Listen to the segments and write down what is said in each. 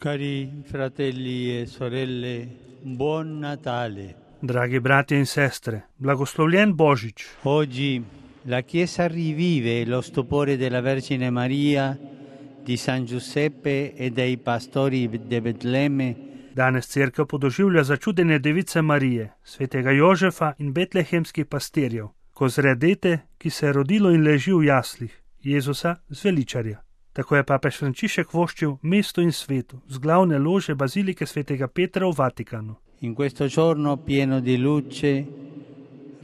Cari fratelli e sorelle, buon Natale. Dragi bratje in sestre, blagoslovljen Božič. Oggi la Chiesa rivive lo stupore della Vergine Maria, di San Giuseppe e dei pastori di Betlemme. Danes cerkev podoživlja začudenje Device Marije, svetega Jožefa in betlehemskih pastirjev, ko zre dete, ki se je rodilo in leži v jaslih, Jezusa zveličarja. Tako je papež Frančišek voščil mestu in svetu z glavne lože bazilike svetega Petra v Vatikanu. In questo giorno pieno di luce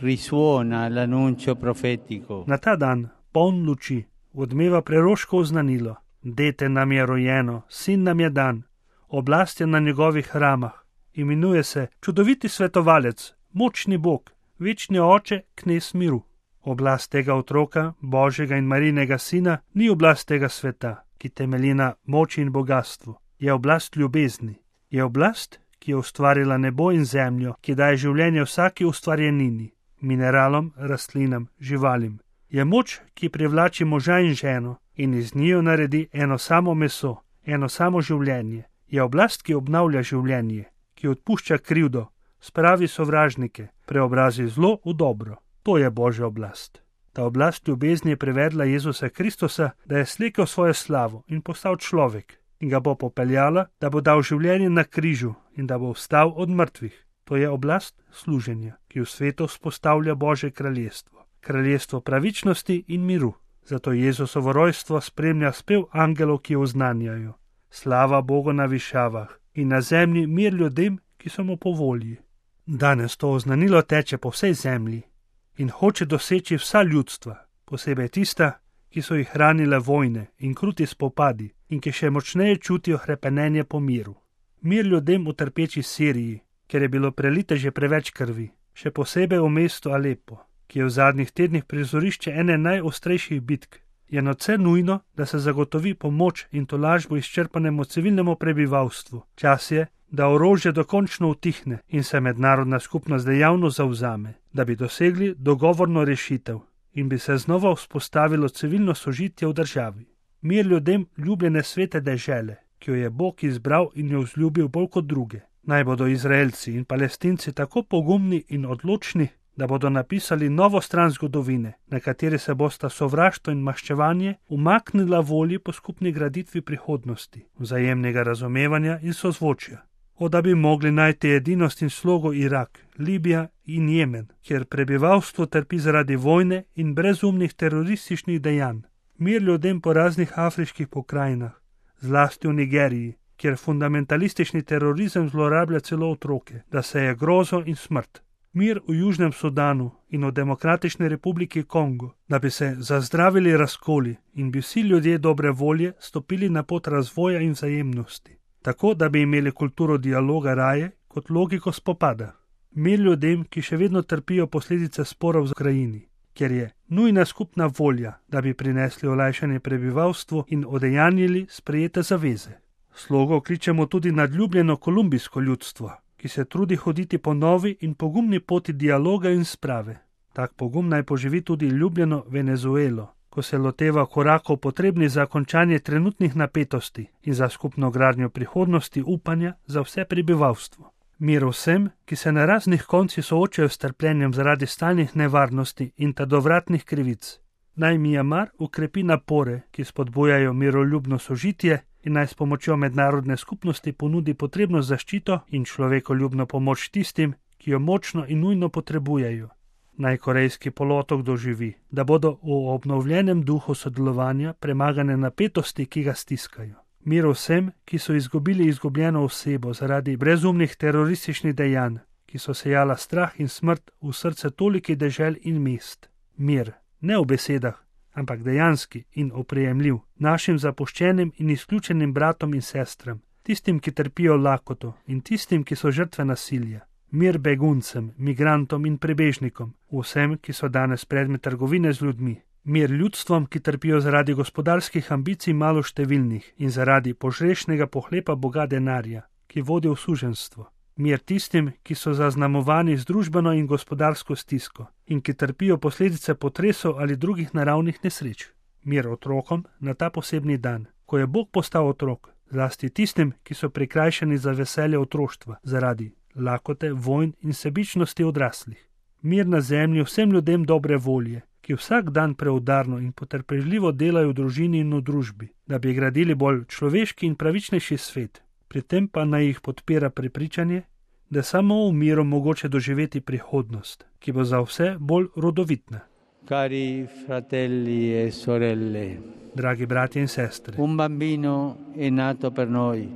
risuona l'annuncio profetico. Na ta dan, poln luči, odmeva preroško oznanilo: dete nam je rojeno, sin nam je dan, oblast je na njegovih ramah, imenuje se čudoviti svetovalec, močni Bog, večni oče, knez miru. Oblast tega otroka, Božjega in Marijinega sina, ni oblast tega sveta, ki temelji na moči in bogatstvu. Je oblast ljubezni. Je oblast, ki je ustvarila nebo in zemljo, ki daje življenje vsaki ustvarjenini, mineralom, rastlinam, živalim. Je moč, ki privlači moža in ženo in iz njiju naredi eno samo meso, eno samo življenje. Je oblast, ki obnavlja življenje, ki odpušča krivdo, spravi sovražnike, preobrazi zlo v dobro. To je Božja oblast. Ta oblast ljubezni je privedla Jezusa Kristusa, da je slekel svojo slavo in postal človek in ga bo popeljala, da bo dal življenje na križu in da bo vstal od mrtvih. To je oblast služenja, ki v svetu vzpostavlja Božje kraljestvo. Kraljestvo pravičnosti in miru. Zato Jezusovo rojstvo spremlja spev angelov, ki oznanjajo: slava Bogu na višavah in na zemlji mir ljudem, ki so mu po volji. Danes to oznanilo teče po vsej zemlji in hoče doseči vsa ljudstva, posebej tista, ki so jih hranile vojne in kruti spopadi in ki še močneje čutijo hrepenenje po miru. Mir ljudem v trpeči Siriji, ker je bilo prelite že preveč krvi, še posebej v mestu Alepo, ki je v zadnjih tednih prizorišče ene najostrejših bitk. Je nadvse nujno, da se zagotovi pomoč in tolažbo izčrpanemu civilnemu prebivalstvu. Čas je, da orožje dokončno utihne in se mednarodna skupnost dejavno zavzame, da bi dosegli dogovorno rešitev in bi se znova vzpostavilo civilno sožitje v državi. Mir ljudem ljubljene svete dežele, ki jo je Bog izbral in jo vzljubil bolj kot druge. Naj bodo Izraelci in Palestinci tako pogumni in odločni, da bodo napisali novo stran zgodovine, na kateri se bosta sovraštvo in maščevanje umaknila volji po skupni graditvi prihodnosti, vzajemnega razumevanja in sozvočja. Da bi mogli najti edinost in slogo Irak, Libija in Jemen, kjer prebivalstvo trpi zaradi vojne in brezumnih terorističnih dejanj. Mir ljudem po raznih afriških pokrajinah, zlasti v Nigeriji, kjer fundamentalistični terorizem zlorablja celo otroke, da se je grozo in smrt. Mir v Južnem Sudanu in v Demokratični republiki Kongo, da bi se zazdravili razkoli in bi vsi ljudje dobre volje stopili na pot razvoja in vzajemnosti. Tako, da bi imeli kulturo dialoga raje kot logiko spopada. Mir ljudem, ki še vedno trpijo posledice sporov v Ukrajini, kjer je nujna skupna volja, da bi prinesli olajšanje prebivalstvu in odejanjili sprejete zaveze. Slogo kličemo tudi nadljubljeno kolumbijsko ljudstvo, ki se trudi hoditi po novi in pogumni poti dialoga in sprave. Tak pogum naj poživi tudi ljubljeno Venezuelo, ko se loteva korakov potrebnih za končanje trenutnih napetosti in za skupno gradnjo prihodnosti upanja za vse prebivalstvo. Mir vsem, ki se na raznih koncih soočajo s trpljenjem zaradi stalnih nevarnosti in trdovratnih krivic. Naj Mjanmar ukrepi napore, ki spodbujajo miroljubno sožitje in naj s pomočjo mednarodne skupnosti ponudi potrebno zaščito in človekoljubno pomoč tistim, ki jo močno in nujno potrebujejo. Naj Korejski polotok doživi, da bodo v obnovljenem duhu sodelovanja premagane napetosti, ki ga stiskajo. Mir vsem, ki so izgubili izgubljeno osebo zaradi brezumnih terorističnih dejanj, ki so sejala strah in smrt v srce tolikih dežel in mest. Mir, ne v besedah, ampak dejanski in oprijemljiv našim zapuščenim in izključenim bratom in sestram, tistim, ki trpijo lakoto in tistim, ki so žrtve nasilja. Mir beguncem, migrantom in prebežnikom, vsem, ki so danes predmet trgovine z ljudmi. Mir ljudstvom, ki trpijo zaradi gospodarskih ambicij maloštevilnih in zaradi požrešnega pohlepa boga denarja, ki vodi v suženjstvo. Mir tistim, ki so zaznamovani z družbeno in gospodarsko stisko in ki trpijo posledice potresov ali drugih naravnih nesreč. Mir otrokom na ta posebni dan, ko je Bog postal otrok, zlasti tistim, ki so prikrajšani za veselje otroštva zaradi lakote, vojn in sebičnosti odraslih. Mir na zemlji vsem ljudem dobre volje, ki vsak dan preudarno in potrpežljivo delajo v družini in v družbi, da bi gradili bolj človeški in pravičnejši svet. Pri tem pa naj jih podpira prepričanje, da samo v miru mogoče doživeti prihodnost, ki bo za vse bolj rodovitna. Cari fratelli e sorelle, Dragi bratje in sestre, un bambino è nato per noi,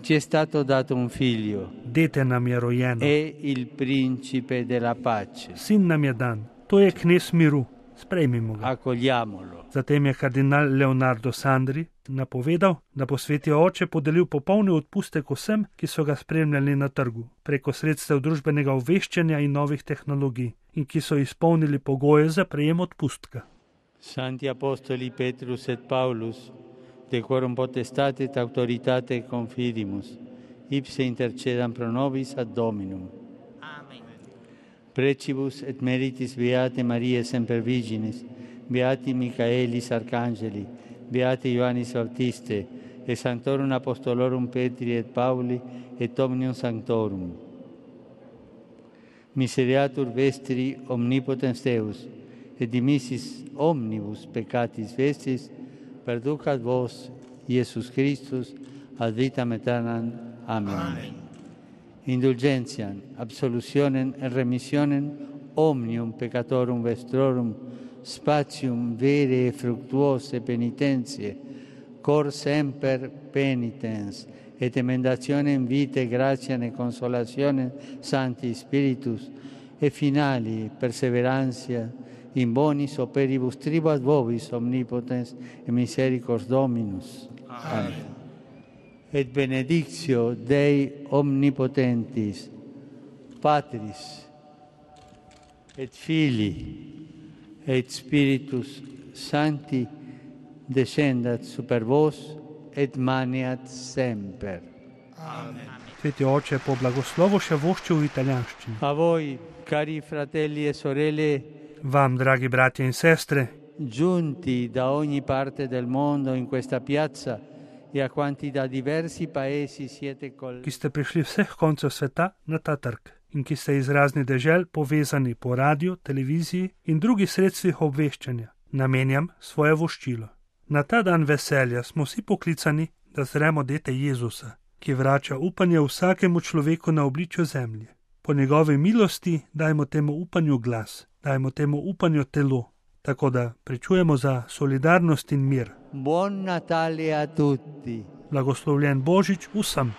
ci è stato dato un figlio, dete nam je rojeno, è il principe della pace, sin nam je dan, to je knez miru, sprejmimo ga. accogliamolo. Zatem je kardinal Leonardo Sandri napovedal, da bo Sveti Oče podelil popolni odpustek vsem, ki so ga spremljali na trgu, preko sredstev družbenega obveščanja in novih tehnologij in ki so izpolnili pogoje za prejem odpustka. Santi Apostoli Petrus et Paulus, decorum potestate et autoritate confidimus, ipse intercedam pro nobis ad Dominum. Amen. Precibus et meritis Beate Mariae Semper Virginis, Beati Michaelis Arcangeli, Beate Ioannis Baptiste, et Sanctorum Apostolorum Petri et Pauli, et Omnium Sanctorum. Misereatur vestri omnipotens Deus, et dimissis omnibus peccatis vestis, perducat vos, Iesus Christus, ad vitam aeternam. Amen. Amen. Indulgentiam, absolutionem et remissionem omnium peccatorum vestrorum, spatium vere e fructuose penitentiae, cor semper penitens, et emendationem vitae gratiam et consolationem Sancti Spiritus, et finali perseverantia in bonis operibus tribuat vobis omnipotens et misericors Dominus. Amen. Et benedictio Dei omnipotentis, Patris, et Filii, et Spiritus Sancti, descendat super vos, et maniat semper. Amen. Sveti Oče, po blagoslovu še voščil v italijanščini. A voi, cari fratelli e sorelle, Vam, dragi bratje in sestre, giunti da ogni parte del mondo in questa piazza e a quanti da diversi paesi siete ki ste prišli vseh koncev sveta na ta trg in ki ste iz raznih dežel povezani po radiju, televiziji in drugih sredstvih obveščanja, namenjam svoje voščilo. Na ta dan veselja smo vsi poklicani, da zremo dete Jezusa, ki vrača upanje vsakemu človeku na obličju zemlje. Po njegovi milosti dajmo temu upanju glas, dajmo temu upanju telo, tako da pričujemo za solidarnost in mir. Buon Natale a tutti! Blagoslovljen Božič vsem!